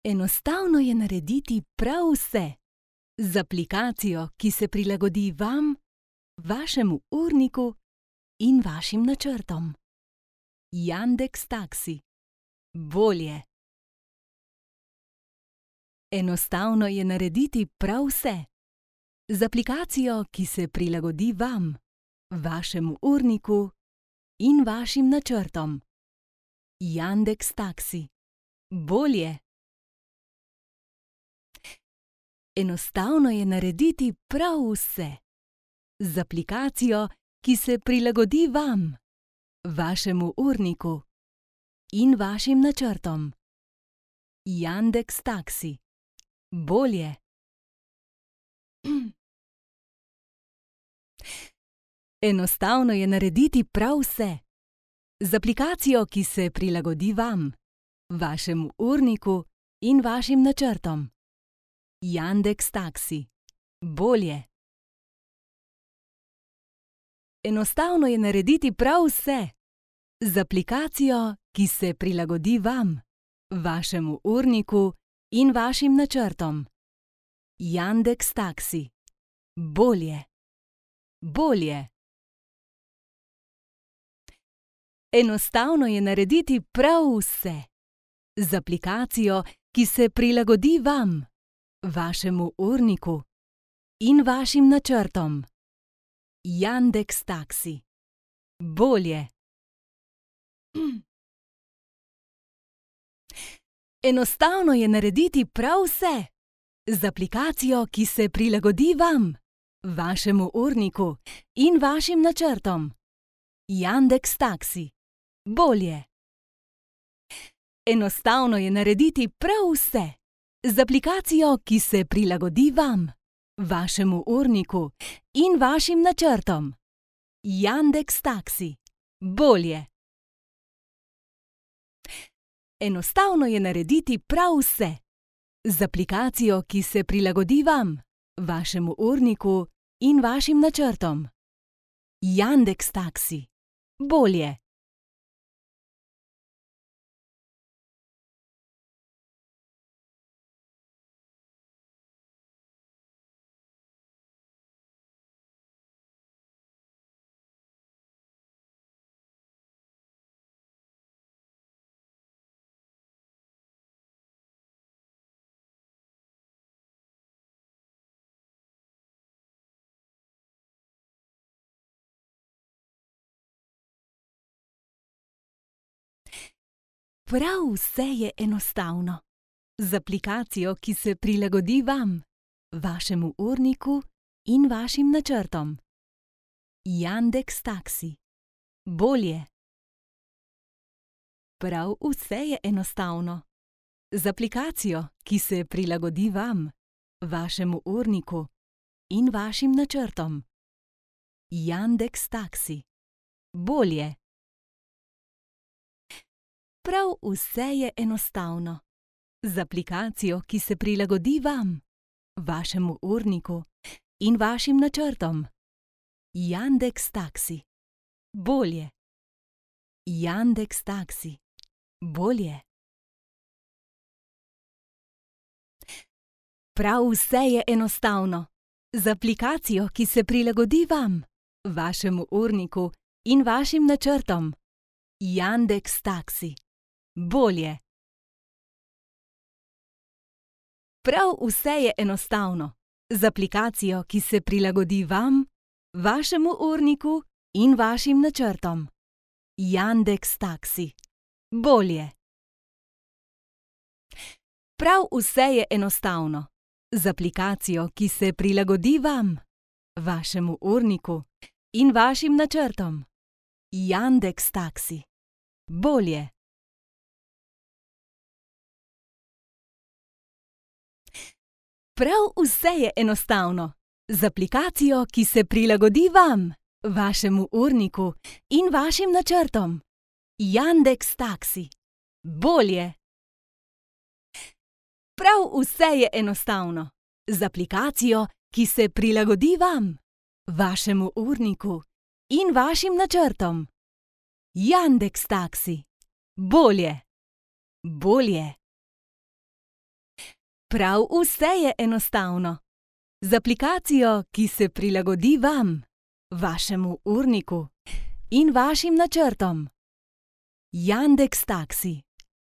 Enostavno je narediti prav vse z aplikacijo, ki se prilagodi vam, vašemu urniku in vašim načrtom. Yandex Taksi. Bolje. Enostavno je narediti prav vse z aplikacijo, ki se prilagodi vam, vašemu urniku in vašim načrtom. Yandex Taksi. Bolje. Enostavno je narediti prav vse z aplikacijo, ki se prilagodi vam, vašemu urniku in vašim načrtom. Yandex Taksi. Bolje. Enostavno je narediti prav vse z aplikacijo, ki se prilagodi vam, vašemu urniku in vašim načrtom. Yandex Taksi. Bolje. Enostavno je narediti prav vse z aplikacijo, ki se prilagodi vam, vašemu urniku in vašim načrtom. Yandex Taksi. Bolje. Bolje. Enostavno je narediti prav vse z aplikacijo, ki se prilagodi vam, vašemu urniku in vašim načrtom. Yandex Taksi. Bolje. Enostavno je narediti prav vse z aplikacijo, ki se prilagodi vam, vašemu urniku in vašim načrtom. Yandex Taksi. Bolje. Enostavno je narediti prav vse z aplikacijo, ki se prilagodi vam, vašemu urniku in vašim načrtom. Yandex Taksi. Bolje. Enostavno je narediti prav vse z aplikacijo, ki se prilagodi vam, vašemu urniku in vašim načrtom. Yandex Taksi. Bolje. Prav vse je enostavno z aplikacijo, ki se prilagodi vam, vašemu urniku in vašim načrtom. Yandex Taksi. Bolje. Prav vse je enostavno z aplikacijo, ki se prilagodi vam, vašemu urniku in vašim načrtom. Yandex Taksi. Bolje. Prav vse je enostavno z aplikacijo, ki se prilagodi vam, vašemu urniku in vašim načrtom. Yandex Taksi. Bolje. Yandex Taksi. Bolje. Prav vse je enostavno z aplikacijo, ki se prilagodi vam, vašemu urniku in vašim načrtom. Yandex Taksi. Bolje. Prav vse je enostavno z aplikacijo, ki se prilagodi vam, vašemu urniku in vašim načrtom. Yandex Taksi. Bolje. Prav vse je enostavno z aplikacijo, ki se prilagodi vam, vašemu urniku in vašim načrtom. Yandex Taksi. Bolje. Prav vse je enostavno z aplikacijo, ki se prilagodi vam, vašemu urniku in vašim načrtom. Yandex Taksi. Bolje. Prav vse je enostavno z aplikacijo, ki se prilagodi vam, vašemu urniku in vašim načrtom. Yandex Taksi. Bolje. Bolje. Prav vse je enostavno. Z aplikacijo, ki se prilagodi vam, vašemu urniku in vašim načrtom. Yandex Taksi.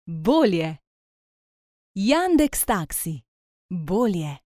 Bolje. Yandex Taksi. Bolje.